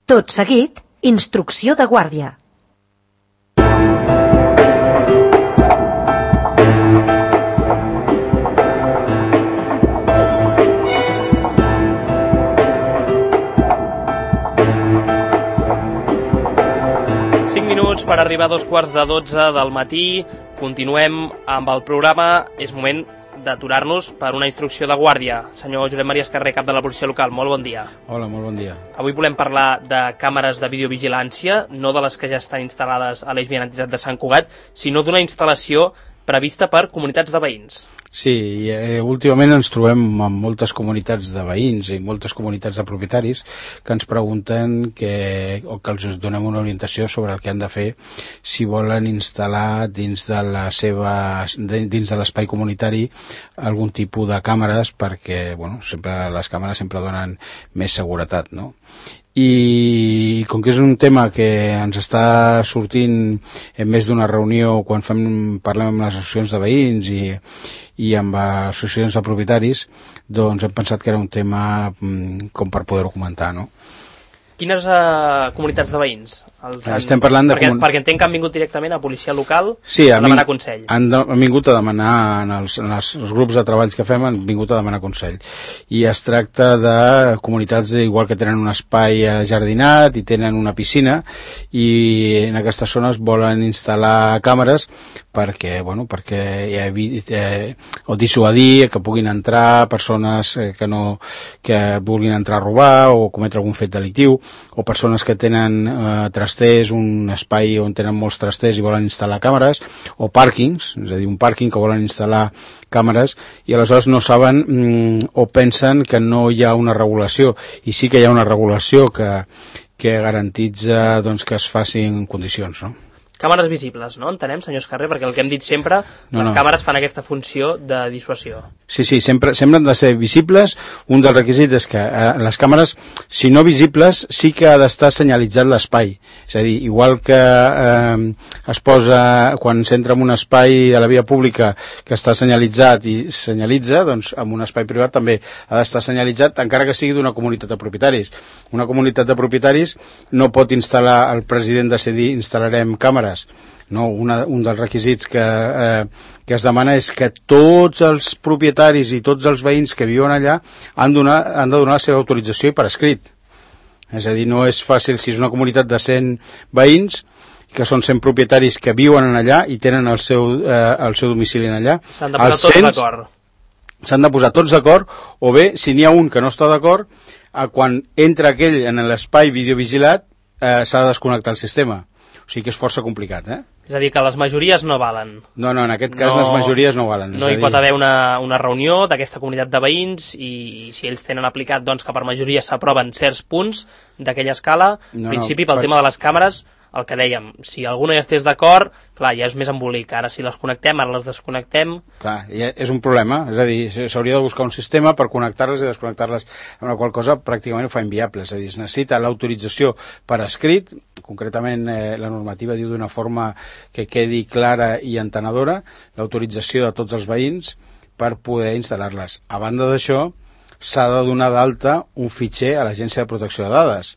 Tot seguit, instrucció de guàrdia. Per arribar a 11:45 del matí, continuem amb el programa. És moment d'aturar-nos per una instrucció de guàrdia. Senyor Josep Maria Escarré, cap de la policia local, molt bon dia. Hola, molt bon dia. Avui volem parlar de càmeres de videovigilància, no de les que ja estan instal·lades a l'eix vianatitzat de Sant Cugat, sinó d'una instal·lació prevista per comunitats de veïns. Sí, últimament ens trobem amb moltes comunitats de veïns i moltes comunitats de propietaris que ens pregunten que els donem una orientació sobre el que han de fer si volen instal·lar dins de l'espai comunitari algun tipus de càmeres, perquè les càmeres sempre donen més seguretat, no? I com que és un tema que ens està sortint en més d'una reunió quan parlem amb les associacions de veïns i amb associacions de propietaris, doncs hem pensat que era un tema com per poder-ho comentar, no? Quines comunitats de veïns? Estem parlant de... Perquè entenc que han vingut directament a policia local a demanar consell. Han vingut a demanar, en els grups de treballs que fem, han vingut a demanar consell. I es tracta de comunitats igual que tenen un espai jardinat i tenen una piscina, i en aquestes zones volen instal·lar càmeres perquè o dissuadir que puguin entrar persones que vulguin entrar a robar o cometre algun fet delictiu, o persones que tenen trasters, un espai on tenen molts trasters i volen instal·lar càmeres, o pàrquings, és a dir, un pàrquing que volen instal·lar càmeres i aleshores no saben o pensen que no hi ha una regulació, i sí que hi ha una regulació que garantitza que es facin condicions, no? Càmeres visibles, no? Entenem, senyor Escarré, perquè el que hem dit sempre, les càmeres fan aquesta funció de dissuasió. Sí, sempre han de ser visibles. Un dels requisits és que les càmeres, si no visibles, sí que ha d'estar senyalitzat l'espai. És a dir, igual que es posa, quan s'entra en un espai a la via pública que està senyalitzat i senyalitza, doncs en un espai privat també ha d'estar senyalitzat, encara que sigui d'una comunitat de propietaris. Una comunitat de propietaris no pot instal·lar, el president decidir instal·larem càmeres. No, un dels requisits que es demana és que tots els propietaris i tots els veïns que viuen allà han de donar la seva autorització i per escrit. És a dir, no és fàcil, si és una comunitat de 100 veïns, que són 100 propietaris que viuen allà i tenen el seu domicili allà. S'han de posar tots d'acord. S'han de posar tots d'acord, o bé, si n'hi ha un que no està d'acord, quan entra aquell en l'espai videovigilat, s'ha de desconnectar el sistema. O sigui que és força complicat, És a dir, que les majories no valen. No, en aquest cas les majories no valen. No hi pot haver una reunió d'aquesta comunitat de veïns i si ells tenen aplicat que per majoria s'aproven certs punts d'aquella escala, en principi pel tema de les càmeres, el que dèiem, si algú no hi estés d'acord, clar, ja és més embolic. Ara si les connectem, ara les desconnectem... Clar, ja és un problema, és a dir, s'hauria de buscar un sistema per connectar-les i desconnectar-les, amb la qual cosa pràcticament ho fa inviable, és a dir, es necessita l'autorització per escrit, concretament la normativa diu d'una forma que quedi clara i entenedora, l'autorització de tots els veïns per poder instal·lar-les. A banda d'això, s'ha de donar d'alta un fitxer a l'Agència de Protecció de Dades,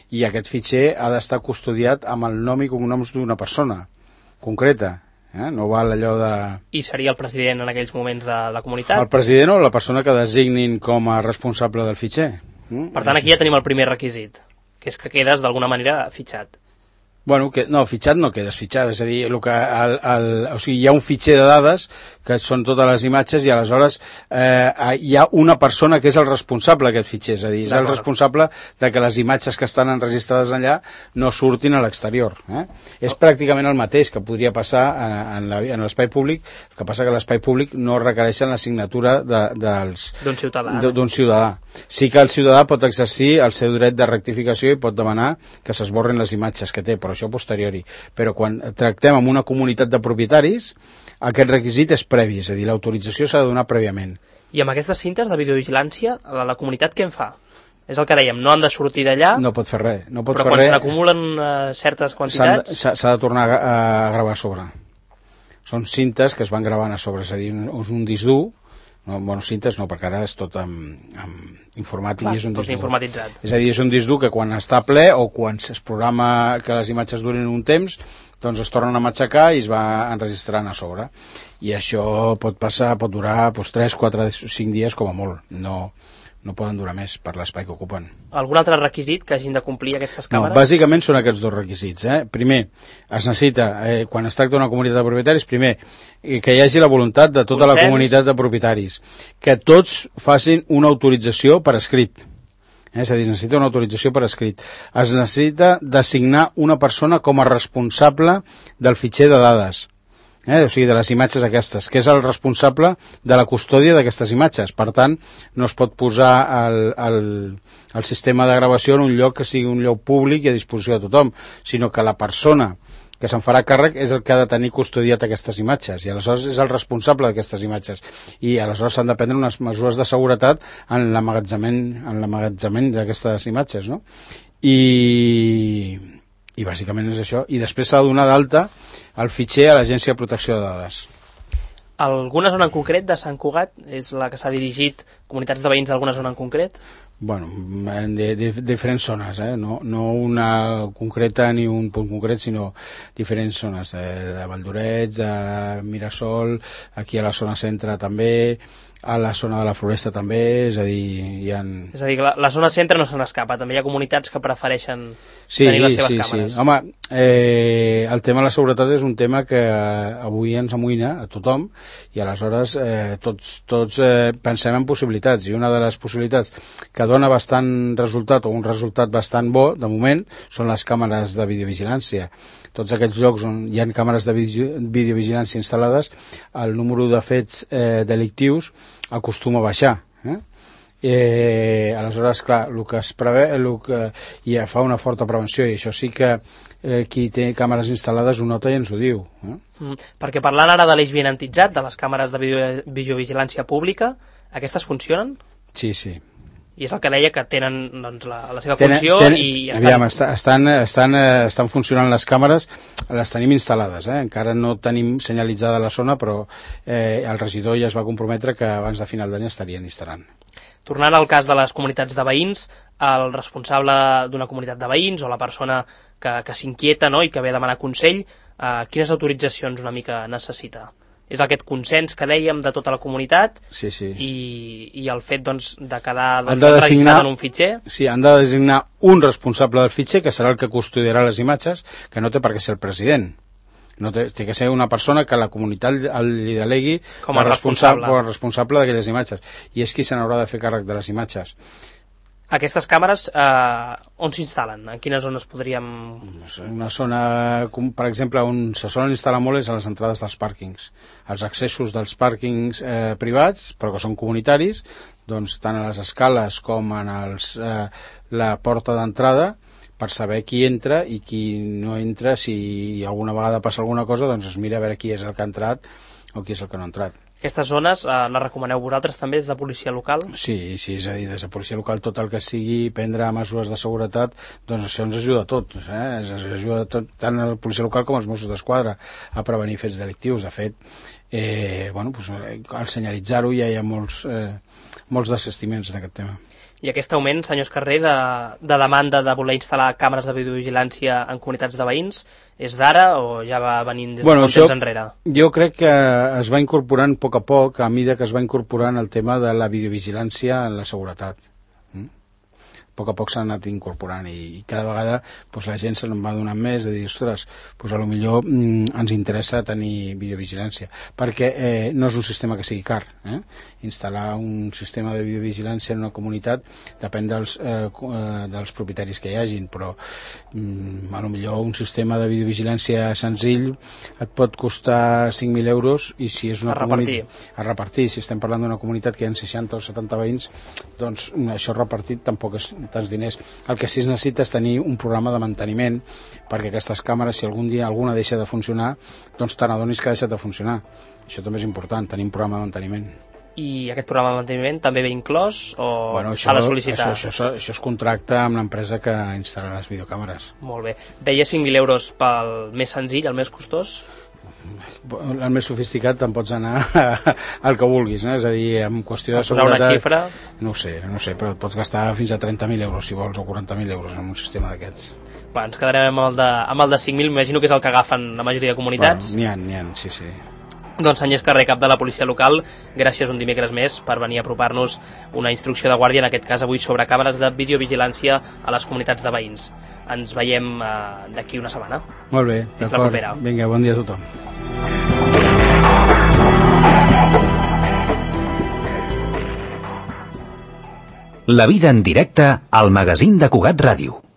i aquest fitxer ha d'estar custodiat amb el nom i cognoms d'una persona concreta, no val allò de... I seria el president en aquells moments de la comunitat? El president o la persona que designin com a responsable del fitxer. Per tant, aquí ja tenim el primer requisit, que és que quedes d'alguna manera fitxat. Bueno, no, fitxat no quedes fitxat, és a dir, o sigui, hi ha un fitxer de dades que són totes les imatges i aleshores hi ha una persona que és el responsable d'aquest fitxer, és a dir, és el responsable de que les imatges que estan enregistrades allà no surtin a l'exterior. És pràcticament el mateix que podria passar en l'espai públic, el que passa que l'espai públic no requereix la signatura d'un ciutadà. Sí que el ciutadà pot exercir el seu dret de rectificació i pot demanar que s'esborrin les imatges que té, però això posteriori. Però quan tractem amb una comunitat de propietaris, aquest requisit és previ, és a dir, l'autorització s'ha de donar prèviament. I amb aquestes cintes de videovigilància, la comunitat què en fa? És el que dèiem, no han de sortir d'allà... No pot fer res. Però quan se n'acumulen certes quantitats... S'ha de tornar a gravar a sobre. Són cintes que es van gravant a sobre, és a dir, un disc dur, no, monocintes no, perquè ara és tot amb informàtic. Clar, i és un tot disc informatitzat. És a dir, és un disc dur que quan està ple o quan es programa que les imatges durin un temps, doncs es tornen a matxacar i es va enregistrant a sobre. I això pot durar 3, 4, 5 dies com a molt. No poden durar més per l'espai que ocupen. Algun altre requisit que hagin de complir aquestes càmeres? No, bàsicament són aquests dos requisits. Primer, es necessita, quan es tracta d'una comunitat de propietaris, primer, que hi hagi la voluntat de tota la comunitat de propietaris, que tots facin una autorització per escrit. És a dir, es necessita una autorització per escrit. Es necessita designar una persona com a responsable del fitxer de dades. O sigui, de les imatges aquestes, que és el responsable de la custòdia d'aquestes imatges. Per tant, no es pot posar el sistema de gravació en un lloc que sigui un lloc públic i a disposició de tothom, sinó que la persona que se'n farà càrrec és el que ha de tenir custodiat aquestes imatges, i aleshores és el responsable d'aquestes imatges, i aleshores s'han de prendre unes mesures de seguretat en l'emmagatzemament d'aquestes imatges, no? I bàsicament és això, i després s'ha de donar d'alta el fitxer a l'Agència de Protecció de Dades. Alguna zona en concret de Sant Cugat és la que s'ha dirigit comunitats de veïns d'alguna zona en concret? Bueno, de diferents zones, no una concreta ni un punt concret, sinó diferents zones, de Valldorets, de Mirasol, aquí a la zona centre també, a la zona de la Floresta també, és a dir, hi ha... És a dir, que la zona centre no se n'escapa, també hi ha comunitats que prefereixen tenir les seves càmeres. Sí. Home, el tema de la seguretat és un tema que avui ens amoïna a tothom, i aleshores tots pensem en possibilitats, i una de les possibilitats que dona bastant resultat, o un resultat bastant bo, de moment, són les càmeres de videovigilància. Tots aquests llocs on hi ha càmeres de videovigilància instal·lades, el número de fets delictius acostuma a baixar. Aleshores, clar, el que es preveu, ja fa una forta prevenció, i això sí que qui té càmeres instal·lades ho nota i ens ho diu. Perquè parlant ara de l'eix benantitzat, de les càmeres de videovigilància pública, aquestes funcionen? Sí, sí. I és el que deia, que tenen doncs, la seva funció i estan funcionant les càmeres, les tenim instal·lades, encara no tenim senyalitzada la zona, però el regidor ja es va comprometre que abans de final d'any estarien instal·lant. Tornant al cas de les comunitats de veïns, el responsable d'una comunitat de veïns o la persona que s'inquieta, no?, i que ve a demanar consell, quines autoritzacions una mica necessita? És aquest consens que dèiem de tota la comunitat, sí. I el fet doncs, de quedar registrat en un fitxer. Sí, han de designar un responsable del fitxer, que serà el que custodiarà les imatges, que no té per què ser el president. No té que ser una persona que la comunitat li delegui com a responsable d'aquelles imatges, i és qui se n'haurà de fer càrrec de les imatges. Aquestes càmeres on s'instal·len? En quines zones podríem... Una zona, per exemple, on se solen instal·lar molt és a les entrades dels pàrquings. Els accessos dels pàrquings privats, però que són comunitaris, doncs tant a les escales com en la porta d'entrada, per saber qui entra i qui no entra. Si alguna vegada passa alguna cosa, doncs es mira a veure qui és el que ha entrat o qui és el que no ha entrat. Aquestes zones les recomaneu vosaltres també des de policia local? Sí, és a dir, des de policia local tot el que sigui prendre mesures de seguretat, doncs això ens ajuda a tots, ens ajuda a tot, tant la policia local com els Mossos d'Esquadra a prevenir fets delictius. De fet, al senyalitzar-ho ja hi ha molts desistiments en aquest tema. I aquest augment, senyor Escarrer, de demanda de voler instal·lar càmeres de videovigilància en comunitats de veïns, és d'ara o ja va venint des de molt temps enrere? Jo crec que es va incorporant a poc, a mesura que es va incorporant el tema de la videovigilància en la seguretat. A poc s'ha anat incorporant, i cada vegada la gent se'n va donant més de dir, ostres, potser ens interessa tenir videovigilància, perquè no és un sistema que sigui car. Instal·lar un sistema de videovigilància en una comunitat depèn dels propietaris que hi hagin, però potser un sistema de videovigilància senzill et pot costar 5.000 euros, i si és una comunitat a repartir, si estem parlant d'una comunitat que hi ha 60 o 70 veïns, doncs això repartit tampoc és tants diners. El que sí es necessita és tenir un programa de manteniment, perquè aquestes càmeres, si algun dia alguna deixa de funcionar, doncs te n'adonis que ha deixat de funcionar. Això també és important, tenir un programa de manteniment. I aquest programa de manteniment també ve inclòs o s'ha de sol·licitar? Això es contracta amb l'empresa que instal·la les videocàmeres. Molt bé. Deia 5.000 euros pel més senzill, el més costós? el més sofisticat te'n pots anar al que vulguis, no? És a dir, en qüestió de seguretat... Posar una xifra... No ho sé, però et pots gastar fins a 30.000 euros, si vols, o 40.000 euros en un sistema d'aquests. Ens quedarem amb el de 5.000, m'imagino que és el que agafen la majoria de comunitats. Bueno, n'hi ha, sí. Doncs Agnès Carrer, cap de la policia local, gràcies un dimecres més per venir a apropar-nos una instrucció de guàrdia, en aquest cas avui sobre càmeres de videovigilància a les comunitats de veïns. Ens veiem d'aquí una setmana. Molt bé, d'acord. Vinga, bon dia a tothom. La vida en directe al magazín de Cugat Ràdio.